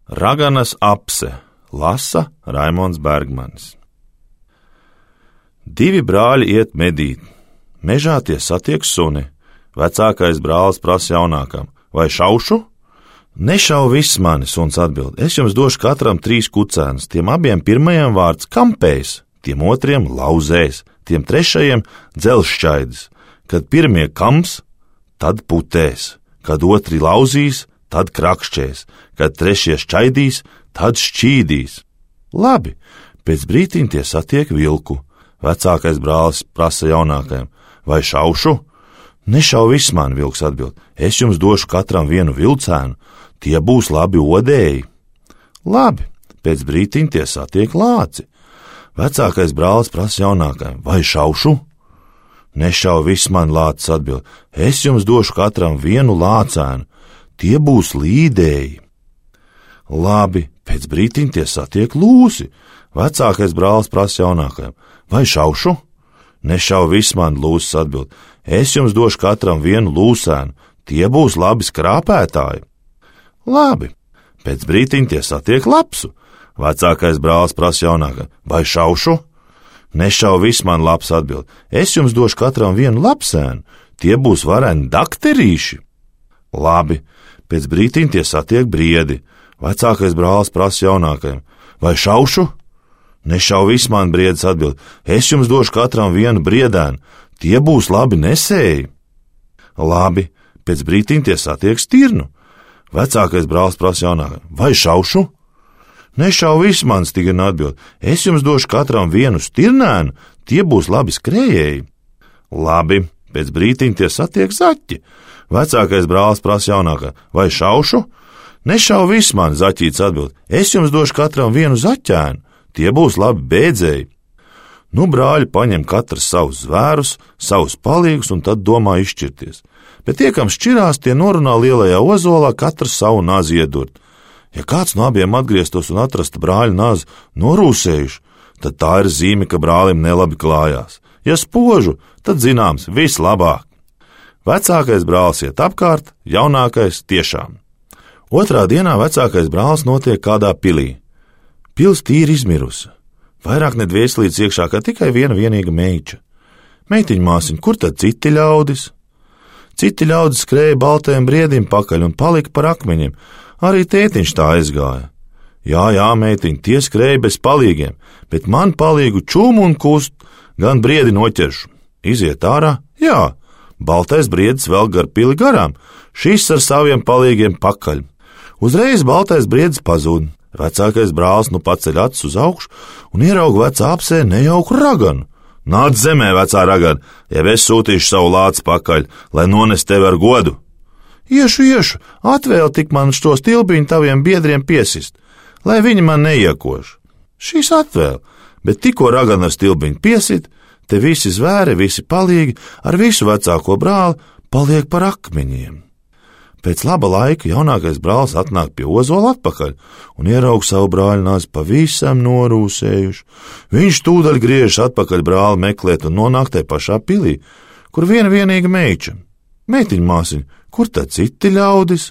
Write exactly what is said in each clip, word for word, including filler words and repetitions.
Raganas apse lasa Raimonds Bergmanis. Divi brāļi iet medīt. Mežā tie satiek suni. Vecākais brālis prasa jaunākam: vai šaušu? Nešau viss mani, suns atbild. Es jums došu katram trīs kucēnus. Tiem abiem pirmajam vārds kampējs, tiem otriem lauzējs, tiem trešajiem dzelzšķaidis. Kad pirmie kams, tad putēs. Kad otri lauzīs, tad krakšķēs. Kad trešie šķaidīs, tad šķīdīs. Labi, pēc brītiņa tie satiek vilku. Vecākais brālis prasa jaunākajam: vai šaušu? Nešau viss man, vilks atbild. Es jums došu katram vienu vilcēnu. Tie būs labi odēji. Labi, pēc brītiņa tie satiek lāci. Vecākais brālis prasa jaunākajam: vai šaušu? Nešau viss man, lācis atbild. Es jums došu katram vienu lācēnu. Tie būs līdēji. Labi, pēc brītiņa tie satiek lūsi. Vecākais brālis prasa jaunākajam: vai šaušu? Nešau viss man, lūsis atbild. Es jums došu katram vienu lūsēnu. Tie būs labi skrāpētāji. Labi, pēc brītiņa tie satiek lapsu. Vecākais brālis prasa jaunākajam: vai šaušu? Nešau viss man, laps atbild. Es jums došu katram vienu lapsēnu. Tie būs vareni dakterīši. Labi, pēc brītiņa tie satiek briedi. Vecākais brālis prasa jaunākajam: vai šaušu? Nešau viss man, briedis atbild. Es jums došu katram vienu briedēnu. Tie būs labi nesēji. Labi, pēc brītiņa tie satiek stirnu. Vecākais brālis prasa jaunākajam: vai šaušu? Nešau viss man, stirna atbild. Es jums došu katram vienu stirnēnu. Tie būs labi skrējēji. Labi, pēc brītiņa tie satiek zaķi. Vecākais brālis prasa jaunākajam: vai šaušu? Nešau viss man, zaķīts atbild. Es jums došu katram vienu zaķēnu. Tie būs labi bēdzēji. Nu, brāļi paņem katrs savus zvērus, savus palīgus un tad domā izšķirties. Bet tie, kam šķirās, tie norunā lielajā ozolā katrs savu nazi iedurt. Ja kāds no abiem atgrieztos un atrastu brāļu nazi norūsējuši, tad tā ir zīme, ka brālim nelabi klājās. Ja spožu, tad zināms, viss labāk. Vecākais brālis iet apkārt, jaunākais tiešām. Otrā dienā vecākais brālis notiek kādā pilī. Pils tīri izmirusi. Vairāk ne dvieslīdz iekšā, kā tikai viena vienīga meiča. Meitiņa māsiņa, kur tad citi ļaudis? Citi ļaudis skrēja baltajam briedim pakaļ un palika par akmeņiem. Arī tētiņš tā aizgāja. Jā, jā, meitiņa, tie skrēja bez palīgiem, bet man palīgu čūmu un kust, gan briedi noķeršu. Iziet ārā? Jā, baltais briedis vēl gar pili garām, šis ar saviem palīgiem pakaļ. Uzreiz baltais briedis pazūd. Vecākais brālis nu paceļ acis uz augšu un ierauga vecā apsē nejauku raganu. Nāc zemē, vecā ragana, ja es sūtīšu savu lāci pakaļ, lai nones tevi ar godu. Iešu, iešu, atvēl tik man šo stilbiņu taviem biedriem piesist, lai viņi man neiekož. Šīs atvēl, bet tikko ragana ar stilbiņu piesit, te visi zvēri, visi palīgi, ar visu vecāko brāli paliek par akmeņiem. Pēc laba laika jaunākais brālis atnāk pie ozola atpakaļ un ieraug savu brāļu nazi pavisam norūsējuši. Viņš tūdaļ griežas atpakaļ brāli meklēt un nonāk te pašā pilī, kur viena vienīga meiča. Meitiņa māsiņa, kur tad citi ļaudis?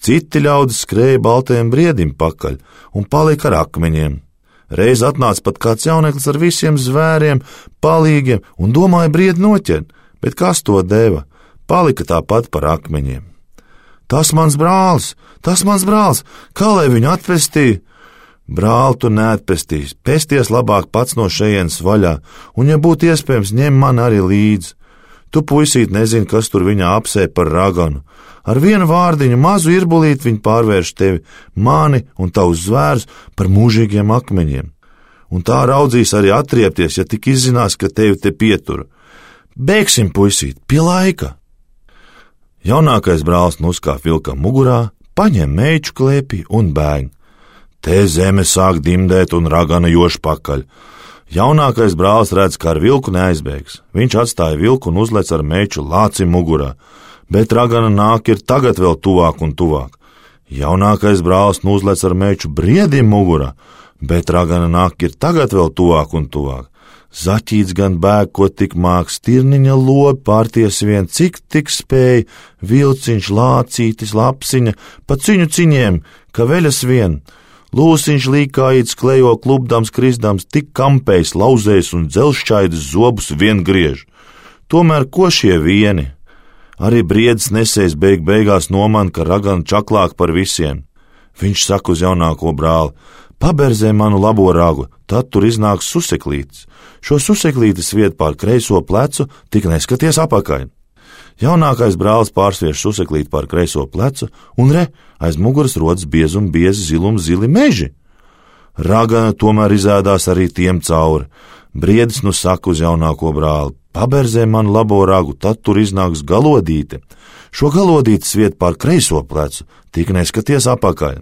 Citi ļaudis skrēja baltajam briedim pakaļ un palika ar akmeņiem. Reiz atnāca pat kāds jauneklis ar visiem zvēriem, palīgiem un domāja briedi noķert, bet kas to deva? Palika tāpat par akmeņiem. Tas mans brālis, tas mans brālis, kā lai viņu atpestīja? Brāli, tu neatpestīs, pesties labāk pats no šejienes vaļā, un, ja būtu iespējams, ņem man arī līdzi. Tu, puisīt, nezini, kas tur viņā apsē par raganu. Ar vienu vārdiņu mazu irbulīt viņi pārvērš tevi, mani un tavus zvērus par mūžīgiem akmeņiem. Un tā raudzīs arī atriepties, ja tik izzinās, ka tevi te pietura. Bēgsim, puisīt, pie laika! Jaunākais brālis nuskāp vilkam mugurā, paņem meiču klēpī un bēg. Te zeme sāk dimdēt un ragana još pakaļ. Jaunākais brālis redz, ka ar vilku neaizbēgs. Viņš atstāja vilku un uzlec ar meiču lāci mugurā, bet ragana nāk ir tagad vēl tuvāk un tuvāk. Jaunākais brālis nu uzlec ar meiču briedim mugurā, bet ragana nāk ir tagad vēl tuvāk un tuvāk. Zaķīts gan bēg, ko tik māk, stirniņa lobi pārties vien, cik tik spēj, vilciņš, lācītis, lapsiņa, pa ciņu ciņiem, ka veļas vien. Lūsiņš līkājīts klejo klubdams, krisdams, tik kampējs, lauzējs un dzelšķaidis zobus vien griež. Tomēr ko šie vieni? Arī briedis nesējs beig beigās noman, ka ragana čaklāk par visiem. Viņš saka uz jaunāko brāli: paberzē manu labo ragu, tad tur iznāks suseklītis. Šo suseklītis viet pār kreiso plecu, tik neskaties apakaļ. Jaunākais brālis pārsviež suseklīti pār kreiso plecu, un re, aiz muguras rodas biezi un biezi zilum zili meži. Ragana tomēr izēdās arī tiem cauri. Briedis nu saka uz jaunāko brāli: paberzē manu labo ragu, tad tur iznāks galodīte. Šo galodītes viet pār kreiso plecu, tik neskaties apakaļ.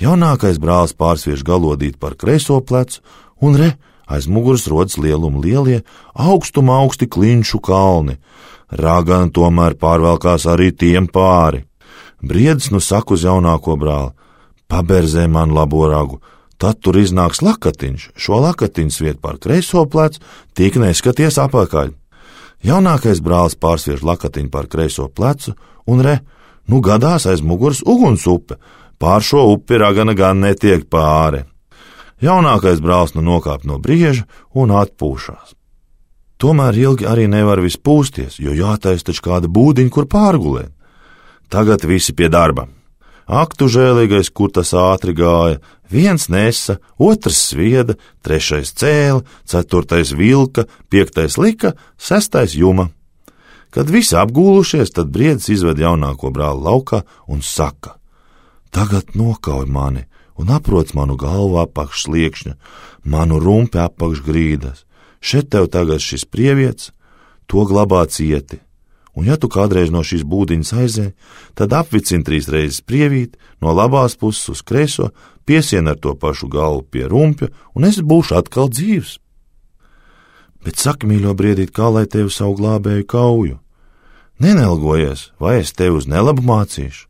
Jaunākais brālis pārsviež galodīti par kreiso plecu, un re, aiz muguras rodas lieluma lielie, augstuma augsti klinšu kalni. Ragana tomēr pārvelkās arī tiem pāri. Briedis nu saka uz jaunāko brāli: paberzē man labo ragu, tad tur iznāks lakatiņš. Šo lakatiņš viet pār kreiso plecu, tik neskaties apakaļ. Jaunākais brālis pārsviež lakatiņu pār kreiso plecu, un re, nu gadās aiz muguras uguns upe. Pār šo upi ragana gan netiek pāri. Jaunākais brālis nu nokāp no brieža un atpūšās. Tomēr ilgi arī nevar viss pūsties, jo jātais taču kāda būdiņa, kur pārgulēt. Tagad visi pie darba. Ak, tu žēlīgais, kur tas ātri gāja. Viens nesa, otrs svieda, trešais cēla, ceturtais vilka, piektais lika, sestais juma. Kad visi apgūlušies, tad briedis izved jaunāko brāli laukā un saka: tagad nokauj mani un aproc manu galvu apakš sliekšņa, manu rumpi apakš grīdas. Šeit tev tagad šis prievietis, to glabā cieti. Un ja tu kādreiz no šīs būdiņas aizēji, tad apvicini trīs reizes prievīti no labās puses uz kreiso, piesien ar to pašu galvu pie rumpja, un es būšu atkal dzīvs. Bet saki, mīļo briedīt, kā lai tevi savu glābēju kauju? Nenelgojies, vai es tevi uz nelabu mācīšu?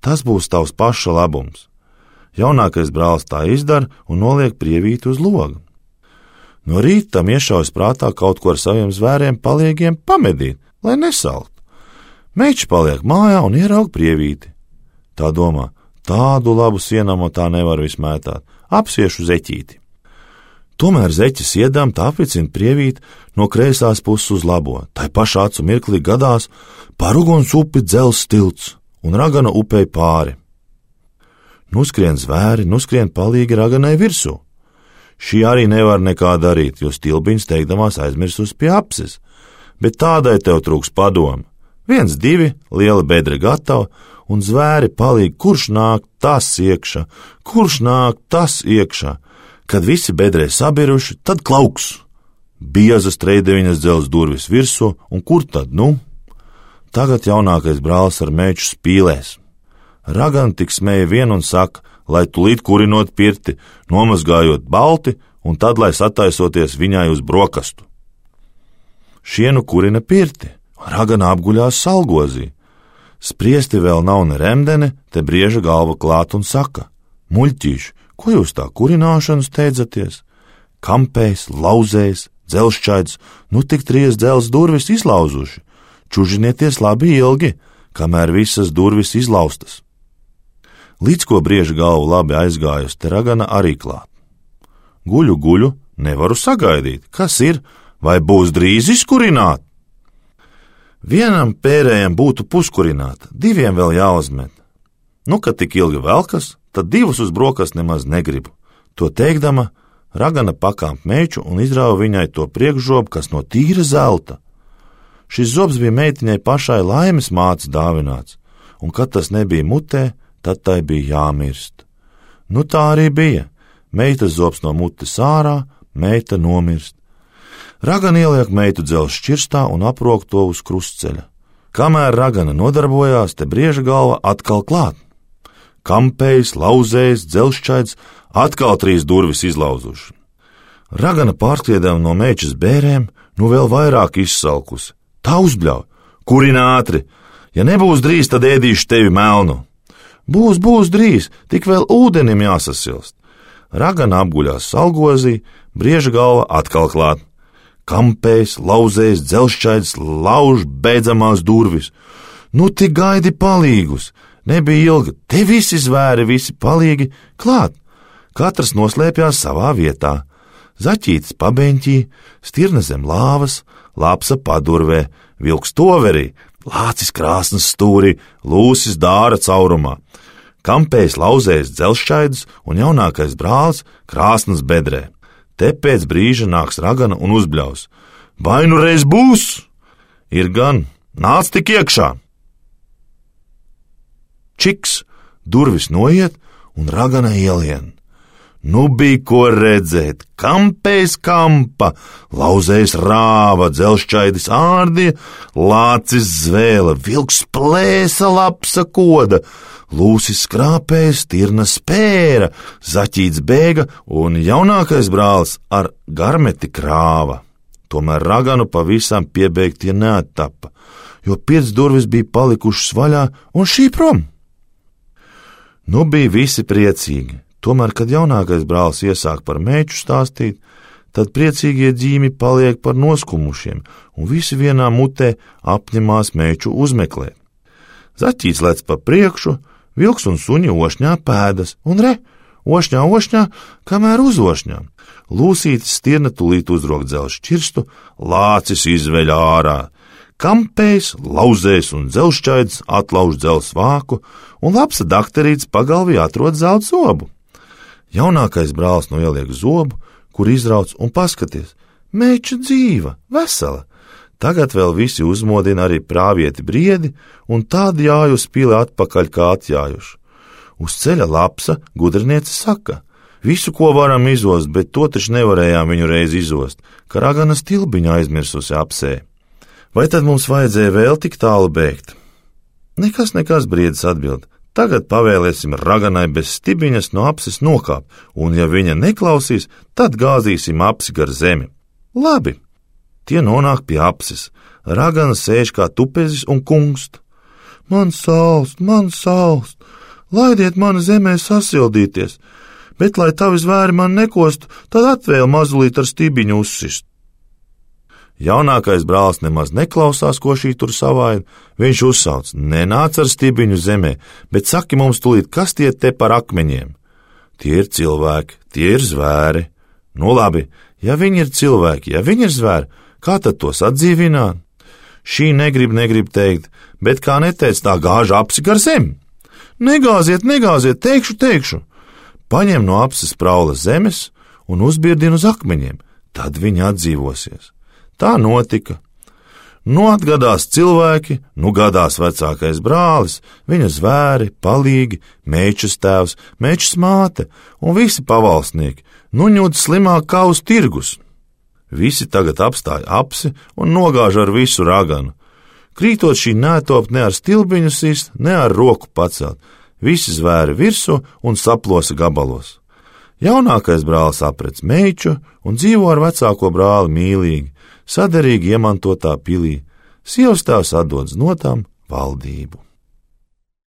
Tas būs tavs paša labums. Jaunākais brālis tā izdara un noliek prievīti uz loga. No rīta tam iešaujas prātā kaut ko ar saviem zvēriem paliegiem pamedīt, lai nesalt. Meičs paliek mājā un ieraug prievīti. Tā domā: tādu labu sienamo tā nevar vismētāt, apsiešu zeķīti. Tomēr zeķis iedām tā apvicina prievīti no kreisās puses uz labo. Tai pašā acu mirklī gadās pār uguns upi dzels tilts, un ragana upei pāri. Nuskrien zvēri, nuskrien palīgi raganai virsū. Šī arī nevar nekā darīt, jo stilbiņas teikdamās aizmirsus pie apses, bet tādai tev trūks padomu. Viens, divi, liela bedre gatava, un zvēri palīgi, kurš nāk, tas iekšā, kurš nāk, tas iekšā. Kad visi bedrē sabiruši, tad klauks. Biezas treideviņas dzels durvis virsū, un kur tad, nu? Tagad jaunākais brālis ar meiču spīlēs. Ragana tik smēja vien un saka, lai tulīt kurinot pirti, nomazgājot balti, un tad, lai sataisoties viņai uz brokastu. Šienu kurina pirti, ragana apguļās salgozī. Spriesti vēl nav ne remdene, te brieža galva klāt un saka: muļķīši, ko jūs tā kurināšanu steidzaties? Kampējs, lauzējs, dzelšķaids, nu tik trīs dzels durvis izlauzuši. Čužinieties labi ilgi, kamēr visas durvis izlaustas. Līdz ko brieža galva labi aizgājusi, te ragana arī klāt. Guļu, guļu, nevaru sagaidīt, kas ir, vai būs drīz izkurināt? Vienam pērējam būtu puskurināta, diviem vēl jāuzmet. Nu, kad tik ilgi velkas, tad divus uz brokas nemaz negribu. To teikdama, ragana pakāp meiču un izrāva viņai to priekšžobu, kas no tīra zelta. Šis zobs bija meitiņai pašai laimes mātes dāvināts, un kad tas nebija mutē, tad tai bija jāmirst. Nu tā arī bija. Meitas zobs no mutes ārā, meita nomirst. Ragana ieliek meitu dzelzs šķirstā un aprok to uz krustceļa. Kamēr ragana nodarbojās, te brieža galva atkal klāt. Kampējs, lauzējs, dzelzšķaids, atkal trīs durvis izlauzuši. Ragana pārskriedama no meičas bērēm, nu vēl vairāk izsalkusi. Tā uzbļauj: kurina ātri, ja nebūs drīz, tad ēdīšu tevi melnu. Būs, būs drīz, tik vēl ūdenim jāsasilst. Ragana apguļās salgozī, brieža galva atkal klāt. Kampējs, lauzējs, dzelzšķaidis, lauž beidzamās durvis. Nu tik gaidi palīgus, nebija ilga, te visi zvēri, visi palīgi, klāt. Katrs noslēpjās savā vietā. Zaķītis pabeņķī, stirna zem lāvas, lapsa padurvē, vilks toverī, lācis krāsnas stūrī, lūsis dāra caurumā. Kampējs, lauzējs, dzelzšķaidis un jaunākais brālis krāsnas bedrē. Te pēc brīža nāks ragana un uzbļaus. Vai nu reiz būs? Ir gan, nāc tik iekšā! Čiks, durvis noiet un ragana ielien. Nu bija ko redzēt, kampējs kampa, lauzējs rāva, dzelzšķaidis ārdīja, lācis zvēla, vilks plēsa, lapsa koda, lūsis skrāpēja, stirna spēra, zaķīts bēga un jaunākais brālis ar garmeti krāva. Tomēr raganu pavisam piebeigtie neattapa, jo piec durvis bija palikušas vaļā un šī prom. Nu bija visi priecīgi. Tomēr, kad jaunākais brālis iesāk par meču stāstīt, tad priecīgie ģīmi paliek par noskumušiem, un visi vienā mutē apņemās meču uzmeklēt. Zaķīts lec pa priekšu, vilks un suņi ošņā pēdas, un re, ošņā, ošņā, kamēr uz ošņām. Lūsītis stirna tulīt uzrok dzelzs šķirstu, lācis izveļ ārā. Kampējs, lauzējs un dzelzšķaidis atlauž dzelzs vāku, un lapsa dakterīts pagalvī atrod zelta zobu. Jaunākais brālis noieliek zobu, kur izrauc un paskaties. Meča dzīva, vesela. Tagad vēl visi uzmodina arī prāvieti briedi, un tādi jāj uz pili atpakaļ kā atjājuši. Uz ceļa lapsa gudriniece saka, visu, ko varam izost, bet to taču nevarējām viņu reiz izost, ka ragana stilbiņa aizmirsusi apsē. Vai tad mums vajadzēja vēl tik tālu bēgt? Nekas, nekas, briedis atbild. Tagad pavēlēsim raganai bez stibiņas no apses nokāpt, un ja viņa neklausīs, tad gāzīsim apsi gar zemi. Labi, tie nonāk pie apses. Ragana sēž kā tupezis un kungst. Man salst, man salst, laidiet mani zemē sasildīties, bet, lai tavi zvēri man nekostu, tad atvēl mazulīt ar stibiņu uzsist. Jaunākais brālis nemaz neklausās, ko šī tur savaina. Viņš uzsauc, nenāc ar stibiņu zemē, bet saki mums tulīt, kas tie te par akmeņiem. Tie ir cilvēki, tie ir zvēri. Nu labi, ja viņi ir cilvēki, ja viņi ir zvēri, kā tad tos atdzīvināt? Šī negrib, negrib teikt, bet kā neteic, tā gāž apsi gar zemi. Negāziet, negāziet, teikšu, teikšu. Paņem no apses praula zemes un uzbirdina uz akmeņiem, tad viņi atdzīvosies. Tā notika. Nu atgadās cilvēki, nu gadās vecākais brālis, viņa zvēri, palīgi, mečas tēvs, mečas māte un visi pavalsnieki, nu ņūd slimāk kā uz tirgus. Visi tagad apstāja apsi un nogāž ar visu raganu. Krītot šī netop ne ar stilbiņu sist, ne ar roku pacelt, visi zvēri virsū un saplosa gabalos. Jaunākais brālis aprec meiču un dzīvo ar vecāko brāli mīlīgi, saderīgi iemantotā pilī, sievas tēvs atdod znotām valdību.